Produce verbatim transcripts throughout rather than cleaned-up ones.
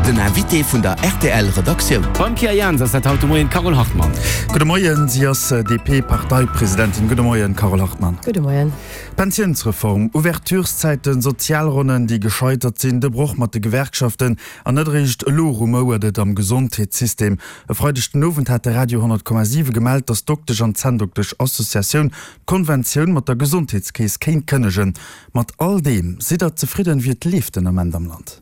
Den Invité vun der R T L Redaktioun. Beim Pierre Jans ass dat haut de Moien d'Carole Hartmann. Gudde Moien, si ass D P-Parteipresidentin. Gudde Moien, Carole Hartmann. Gudde Moien. Pensiounsreform, Ouvertureszäiten, Sozialronnen, déi gescheitert sinn, de Broch mat de Gewerkschaften an net eréischt elo rumouert et am Gesondheetssystem. E Freideg den Owend hat de Radio honnert Komma siwe gemellt, datt d'Doktesch an d'Zänndoktesch-Associatioun d'Konventioun mat der Gesondheetskeess kéint kënnegen. Mat all deem, sidd Der zefridden, wéi et leeft den Ament am Land?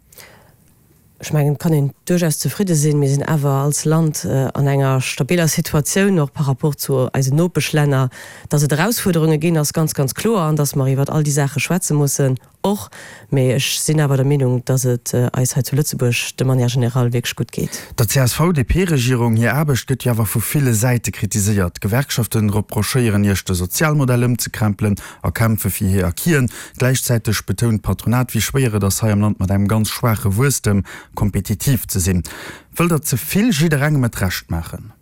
Ech mengen, et kann een duerchaus zefridde sinn. Mir sinn awer als Land an enger stabiller Situatioun, och par rapport zu eisen Nopeschlänner. Datt et Erausfuerderunge ginn, ass ganz, ganz kloer, an datt mer iwwer all déi Saache schwätze mussen och. Mee ech sinn awer der Meenung, datt et eis hei zu Lëtzebuerg de manière générale wierklech gutt geet. Der C S V-D P-Regierung hir Aarbecht gëtt jo awer vu ville Säite kritiséiert. D'Gewerkschaften reprochéieren Iech, de Sozialmodell ëmzekrempelen a kämpfe fir hir Acquisen. Gläichzäiteg betount d'Patronat, wéi schwéier et ass, hei am Land mat engem ganz schwaache Wuesstem kompetitiv ze sinn. Wëllt Der ze vill jidderengem et Recht maachen?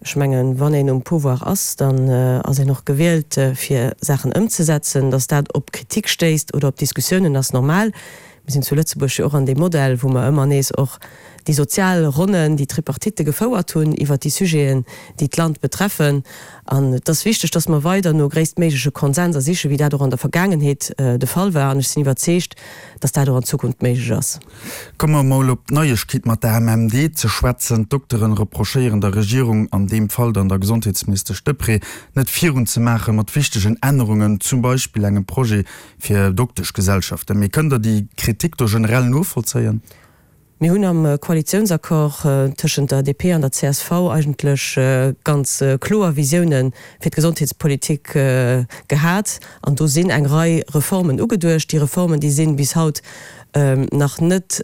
Ech mengen, wann een um Pouvoir ass, dann ass een och gewielt, fir Saachen ëmzesetzen. Datt dat op Kritik stéisst oder op Diskussiounen, ass normal. Mir sinn zu Lëtzebuerg jo och an deem Modell, wou mer ëmmer nees och déi sozial Ronnen, déi Tripartite gefouert hunn iwwert déi Sujeten, déi d'Land betreffen. An et ass wichteg, datt mer weider no gréisstméigleche Konsenser sichen, wéi dat och an der Vergaangenheet de Fall war. An ech sinn iwwerzeegt, datt dat och an Zukunft méiglech ass. Komme mer mol op d'Neiegkeet mat der A M M D ze schwätzen. D'Dokteren reprochéieren der Regierung, an deem Fall dann der Gesondheetsministesch Deprez, net virunzemaache mat wichtegen Ännerungen, zum Beispill engem Projet fir Dokteschgesellschaften. Mee kënnt Der déi Kritik do generell novollzéien? Mir hunn am Koalitiounsaccord tëschent der D P an der C S V eigentlech ganz kloer Visioune fir d'Gesondheetspolitik gehat an do sinn eng Rei Reformen ugeduecht. Déi Reformen, déi sinn bis haut nach net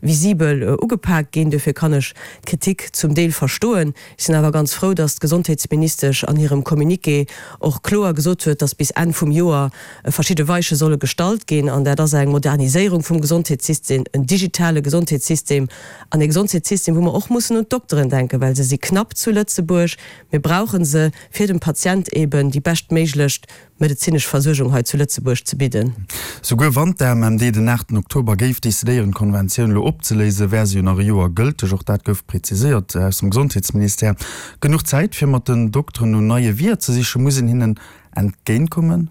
visibel ugepak ginn. Dofir kann ech d'Kritik zum Deel verstoen. Ech sinn awer ganz frou, datt d'Gesondheetsministesch an hirem Communiqué och kloer gesot huet, datt bis Enn vum Joer verschidde Weiche solle gestallt ginn. An dat ass eng Moderniséierung vum Gesondheetssystem, en digitale Gesondheetssystem an e Gesondheetssystem, wou mer och mussen un d'Dokteren denken, well se si knapp zu Lëtzebuerg. Mir brauche se, fir dem Patient eben déi beschtméiglechst medezinesch Versuergung hei zu Lëtzebuerg ze bidden. Souguer wann d'A M M D den aachten Oktober géif decidéieren, d'Konventioun elo opzeléisen, wär se jo nach e Joer gëlteg. Och dat gouf preziséiert aus dem Gesondheetsministère. Genuch Zäit, fir mat den Dokteren no neie Weeër ze sichen? Muss een hinnen entgéintkommen?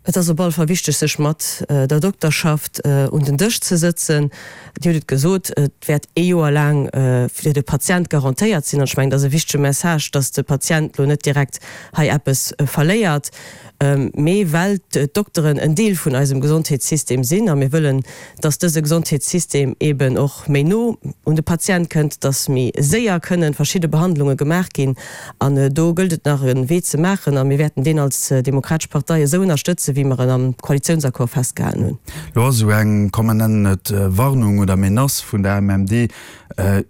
Et ass op alle Fall wichteg, sech mat der Dokterschaft un den Dësch ze sëtzen. Dir hutt et gesot, et wäert ee Joer laang fir de Patient garantéiert sinn. An ech mengen, dat ass e wichtege Message, dass de Patient elo net direkt hei eppes verléiert. Mee well d'Dokteren en Deel vun eisem Gesondheetssystem sinn a mir wëllen, dass dëse Gesondheetssystem eben och méi no un de Patient kënnt, dass méi séier kënnen verschidde Behandlunge gemaach ginn. An do gëllt et nach e Wee ze maachen a mir wäerten deen als Demokratesch Partei esou ënnerstëtzen, wéi mer en am Koalitiounsaccord festgehalen hunn. Lo ass esou eng, komm mer nennen et Warnung oder Menace vun der A M M D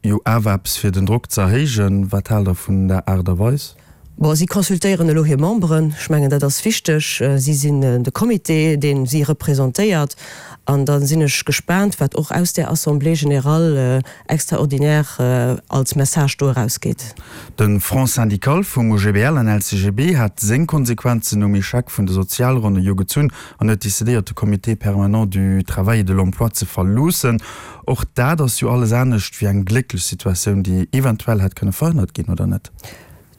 jo awer eppes fir den Drock ze erhéijen. Wat haalt Der vun der Aart a Weis? Bon, si consultéieren elo hir Memberen. Ech mengen, dat ass wichteg. Si sinn de Comité, dee si representéiert. An da sinn ech gespaant, wat och aus där Assemblée générale extraordinaire als Message do erausgeet. De Front syndical vum O G B L an L C G B hat seng Konsequenzen nom Echec vun de Sozialronne jo gezunn an huet decidéiert, de Comité permanent du travail et de l'emploi ze verloossen. Och dat ass jo alles anescht wéi eng glécklech Situatioun, déi eventuell hätt kënne verhënnert ginn, oder net?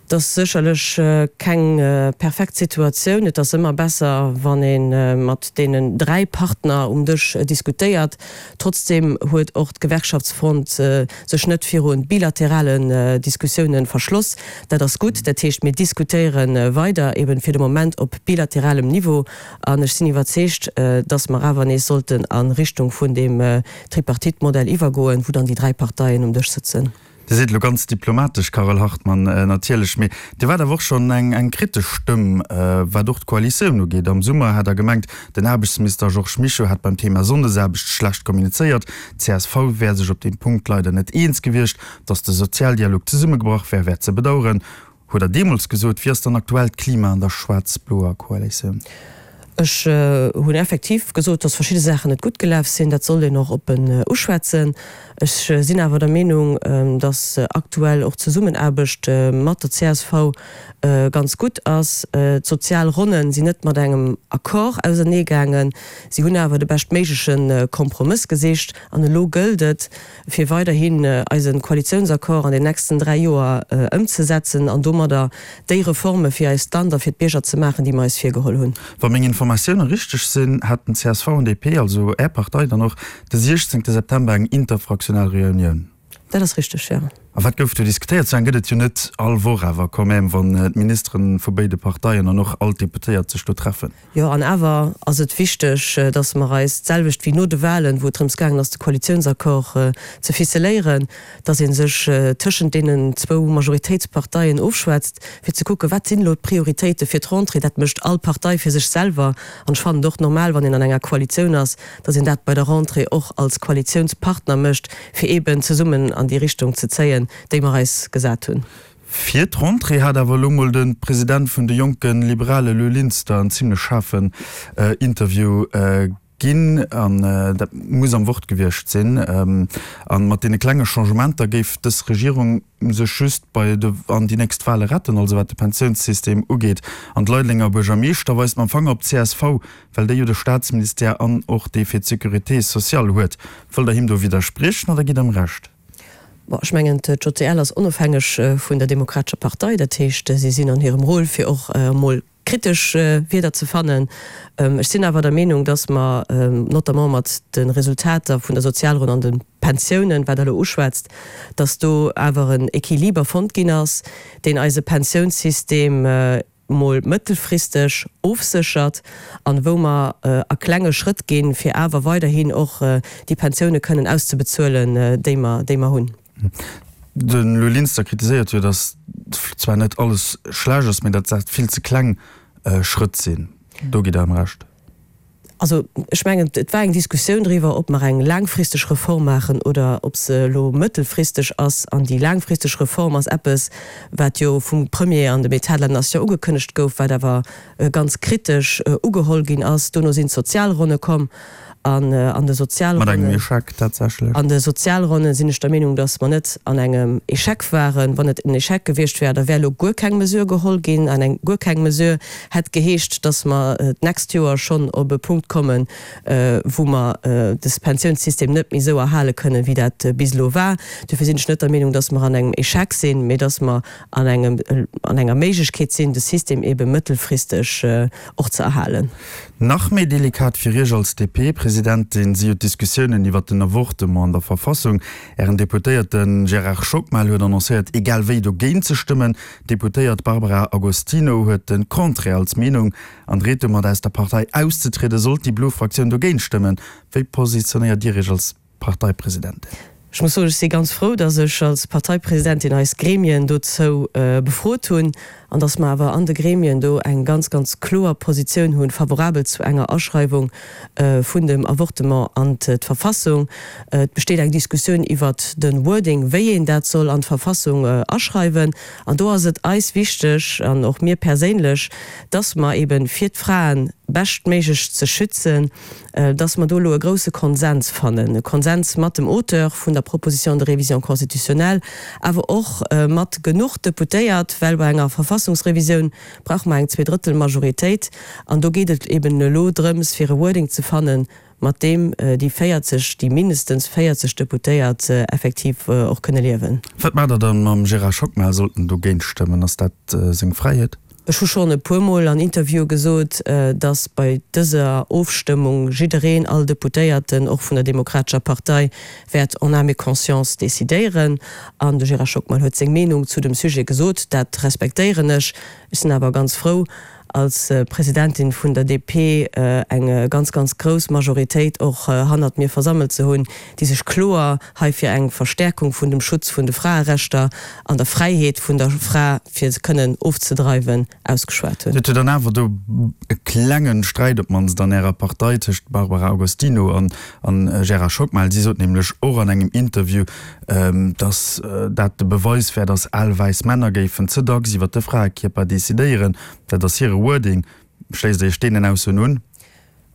Dat ass sécherlech keng perfekt Situatioun. Et ass ëmmer besser, wann ee mat deenen dräi Partner um Dësch diskutéiert. Trotzdeem huet och d'Gewerkschaftsfront sech net viru bilateralen Diskussiounen verschloss. Dat ass gutt. Dat heescht, mir diskutéiere weider, eben fir de Moment op bilateralem Niveau. An ech sinn iwwerzeegt, datt mer awer nees sollten a Richtung vun deem Tripartite-Modell iwwergoen, wou dann déi dräi Parteien um Dësch sëtzen. Dir sidd elo ganz diplomatesch, Carole Hartmann, natierlech, mee Dir waart awer och schonn eng eng kritesch Stëmm, wat och d'Koalitioun ugeet. Am Summer hat Der gemengt, den Aarbechtsminister Georges Mischo hätt beim Thema Sonndesaarbecht schlecht kommunizéiert. D C S V wär sech op deem Punkt leider net eens gewiescht. Datt de Sozialdialog zesummegebrach wär, wär ze bedauern, huet Der deemools gesot. Wéi ass dann aktuell d'Klima an der schwaarz-bloer Koalitioun? Ech hunn effektiv gesot, datt verschidde Saachen net gutt gelaf sinn. Dat sollt een och oppen uschwätzen. Ech sinn awer der Meenung, dass aktuell och d'Zesummenaarbecht mat der csv ganz gutt ass. D'Sozialronne sinn net mat engem Accord auserneegaangen. Si hunn awer de beschtméigleche Kompromëss gesicht. An elo gëllt et, fir weiderhin eise Koalitiounsaccord an den nächsten dräi Joer ëmzesetzen an domadder déi Reforme fir eist Land a fir d'Bierger ze maachen, déi mer eis virgeholl hunn. Wa meng Informatioune richteg sinn, haten csv an DP, also Är Partei, dann och de siechzéngte September eng interfraktionell Reunioun. Dat ass richteg, jo. A wat gouf do diskutéiert? Sou eng gëtt et jo net all Woch, awer quand même, wann d'Ministere vu béide Parteien an och all d'Deputéiert sech do treffen. Jo, an awer ass et wichteg, datt mer eis, d'selwecht wéi no de Wahlen, wou et drëms gaangen ass, de Koalitiounsaccord ze ficeléieren, datt ee sech tëschent deenen zwou Majoritéitsparteien ofschwätzt, fir ze kucken, wat sinn elo d'Prioritéite fir d'Rentrée. Dat mécht all Partei fir sech selwer. An ech fannen et och normal, wann een an enger Koalitioun ass, datt een dat bei der Rentrée och als Koalitiounspartner mécht, fir eeben zesummen an déi Richtung ze zéien, déi mer eis gesat hunn. Fir d'Rentrée hat awer elo mol de President vun de Jonke Liberale Lou Linster en zimlech schaarfen Interview ginn. An dat muss am Wort gewiescht sinn. A mat deene klenge Changementer géif dës Regierung sech just bei de an déi nächst Wale retten, also wat de Pensiounssystem ugeet. An de Leidelenger Buergermeeschter weist mam Fanger op d'CSV, well déi jo de Staatsministère an och dee fir d'Sécurité sociale huet. Wëllt Der him do widderspriechen oder gitt Der em Recht? Bon, ech mengen, d'JCL ass onofhängeg vun der Demokratescher Partei. Dat heescht, si sinn an hirem Rôle, fir och emol kritesch Wierder ze fannen. Ech sinn awer der Meenung, dass mer notamment mat de Resultater vun der Sozialronn an de Pensiounen, wat Der elo uschwätzt, dass do awer en Equiliber fonnt ginn ass, deen eise Pensiounssystem mol mëttelfristeg ofséchert an wou mer a klenge Schrëtt ginn, fir awer weiderhin och déi Pensioune kënnen auszebezuelen, déi mer, déi mer hunn. De Lou Linster kritiséiert jo, datt zwar net alles schlecht ass, mee datt dat vill ze kleng Schrëtt sinn. Do gitt Der em Recht? Also, ech mengen, et war eng Diskussioun driwwer, ob mer eng laangfristeg Reform maachen oder ob se elo mëttelfristeg ass. An déi laangfristeg Reform ass eppes, wat jo vum Premier an dem État de la Nation ugekënnegt gouf, wat awer ganz kritesch ugeholl ginn ass. Dono sinn d'Sozialronne komm. An an de Mat engem Échec tatsächlech. An de Sozialronne sinn ech der Meenung, datt mer net an engem Échec waren. Wann et en Échec gewiescht wär, da wär elo guer keng Mesure geholl ginn. An eng guer keng Mesure hätt geheescht, datt mer d'nächst Joer schonn op e Punkt kommen, wou mer de Pensiounssystem net méi esou erhale kënnen, wéi dat bis elo war. Dofir sinn ech net der Meenung, datt mer an engem Échec sinn, mee datt mer an engem, an enger Méiglechkeet sinn, de System ebe mëttelfristeg och ze erhalen. Nach méi delikat fir Iech als D P-Presidentin si jo d'Diskussiounen iwwert den Avortement an der Verfassung. Ären Deputéierte Gérard Schockmel huet annoncéiert, egal wéi dogéint ze stëmmen. D'Deputéiert Barbara Agostino huet de Contraire als Meenung an dreet domat aus der Partei auszetrieden, sollt déi blo Fraktioun dogéint stëmmen. Wéi positionéiert Dir Iech als Parteipresidentin? Ech muss soen, ech si ganz frou, datt ech als Parteipresidentin eis Gremien dozou befrot hunn an datt mer awer an de Gremien do eng ganz, ganz kloer Positioun hunn, favorabel zu enger Aschreiwung vun dem Avortement an d'Verfassung. Et besteet eng Diskussioun iwwert de Wording, wéi een dat soll an d'Verfassung aschreiwen. An do ass et eis wichteg an och mir perséinlech, datt mer eeben, fir d'Fraen beschtméiglech ze schützen, dass mer do elo e grouse Konsens fannen, e Konsens mat dem Auteur vun der Proposition de révision constitutionnelle, awer och mat genuch Deputéiert, well bei enger Verfassungsrevisioun brauche mer eng Zweedrëttelmajoritéit. An do geet et eben elo drëms, fir e Wording ze fannen, mat deem déi véierzeg, déi mindestens véierzeg Deputéiert effektiv och kënne liewen. Wat maacht Der dann mam Gérard Schockmel, sollt en dogéint stëmmen? Ass dat seng Fräiheet? Ech hu schonn e puermol an Interviewe gesot, datt bei dëser Ofstëmmung jiddereen, all Deputéierten, och vun der Demokratescher Partei, wäert en âme et conscience decidéieren. An de Gérard Schockmel huet seng Meenung zu dem Sujet gesot. Dat respektéieren ech. Ech sinn awer ganz frou, als Presidentin vun der D P eng ganz, ganz grouss Majoritéit och hannert mir versammelt ze hunn, déi sech kloer hei fir eng Verstärkung vun dem Schutz vun de Fraerechter an der Fräiheet vun der Fra, fir se kënnen ofzedreiwen, ausgeschwat hunn. Et huet jo dann awer do e klengen Sträit op d'mannst an Ärer Partei tëscht Barbara Agostino an Gérard Schockmel. Si sot nämlech och an engem Interview, datt dat de Beweis wär, datt al wäiss Männer géifen ze dacks iwwer de Fraekierper decidéieren. Dat ass hire Wording. Schléisst Dir Iech deenen Aussoen un?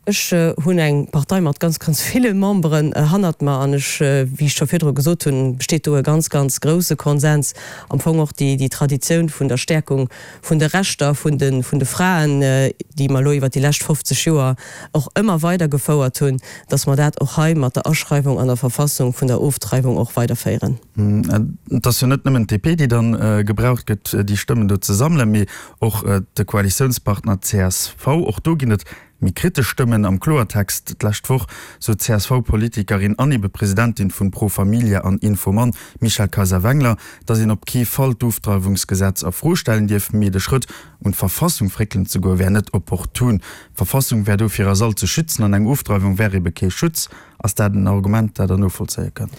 Ech hunn eng Partei mat ganz, ganz ville Memberen hannert mer an ech, wéi ech scho virdru gesot hunn, besteet do e ganz, ganz grouse Konsens. Am Fong och déi, déi Traditioun vun der Stärkung vun de Rechter vun de, vun de Fraen, déi mer elo iwwert déi lescht fofzeg Joer och ëmmer weidergefouert hunn, dass mer dat och hei mat der Aschreiwung an der Verfassung vun der Ofdreiwung och weiderféieren. Et ass jo net nëmmen d'DP, déi dann gebraucht gëtt, déi Stëmmen do ze sammelen, mee och de Koalitiounspartner csv. Och do ginn et méi kritesch Stëmmen. Am Kloertext d'lescht Woch sot d'CSV-Politikerin an ebe Presidentin vun Pro Familia an Infomann, Michèle Kayser-Wengler, datt een op kee Fall d'Ofdreiwungsgesetz a Fro stellen dierf, mee de Schrëtt un d'Verfassung fréckelen ze goe wär net opportun. D'Verfassung wär do fir eis all ze schützen an eng Ofdreiwung wär ebe kee Schutz. Ass dat en Argument, dat Der novollzéie kënnt?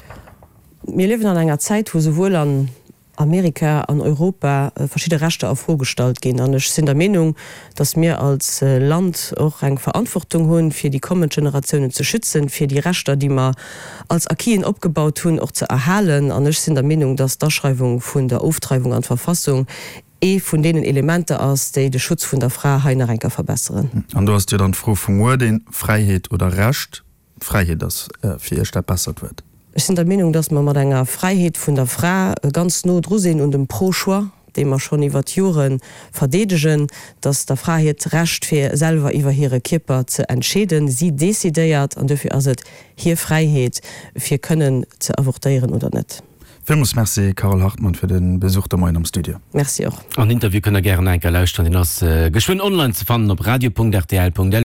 Mir liewen an enger Zäit, wou souwuel an Amerika, an Europa verschidde Rechter a Fro gestallt ginn. An ech sinn der Meenung, datt mir als Land och eng Verantwortung hunn, fir déi kommend Generatiounen ze schützen, fir déi Rechter, déi mer als Acquisen opgebaut hunn, och ze erhalen. An ech sinn der Meenung, datt d'Aschreiwung vun der Ofdreiwung an d'Verfassung ee vun deenen Elementer ass, déi de Schutz vun der Fra hei nach eng Kéier verbesseren. An do ass jo dann d'Fro vum Wording, Fräiheet oder Recht. Fräiheet ass fir Iech dat bessert Wuert. Ech sinn der Meenung, dass mer mat enger Fräiheet vun der Fra ganz no dru sinn un dem Pro-Choix, dee mer schonn iwwert Jore verdeedegen, dass der Fra hiert Recht fir selwer iwwer hire Kierper ze entscheeden, si decidéiert an duerfir ass et hir Fräiheet fir kënnen ze avortéieren oder net. Villmools Merci Carole Hartmann fir de Besuch de Moien am Studio. Merci och. An Interview kënnt der gären nach eng Kéier lauschteren, deen ass geschwënn online ze fannen op radio.rtl.lu.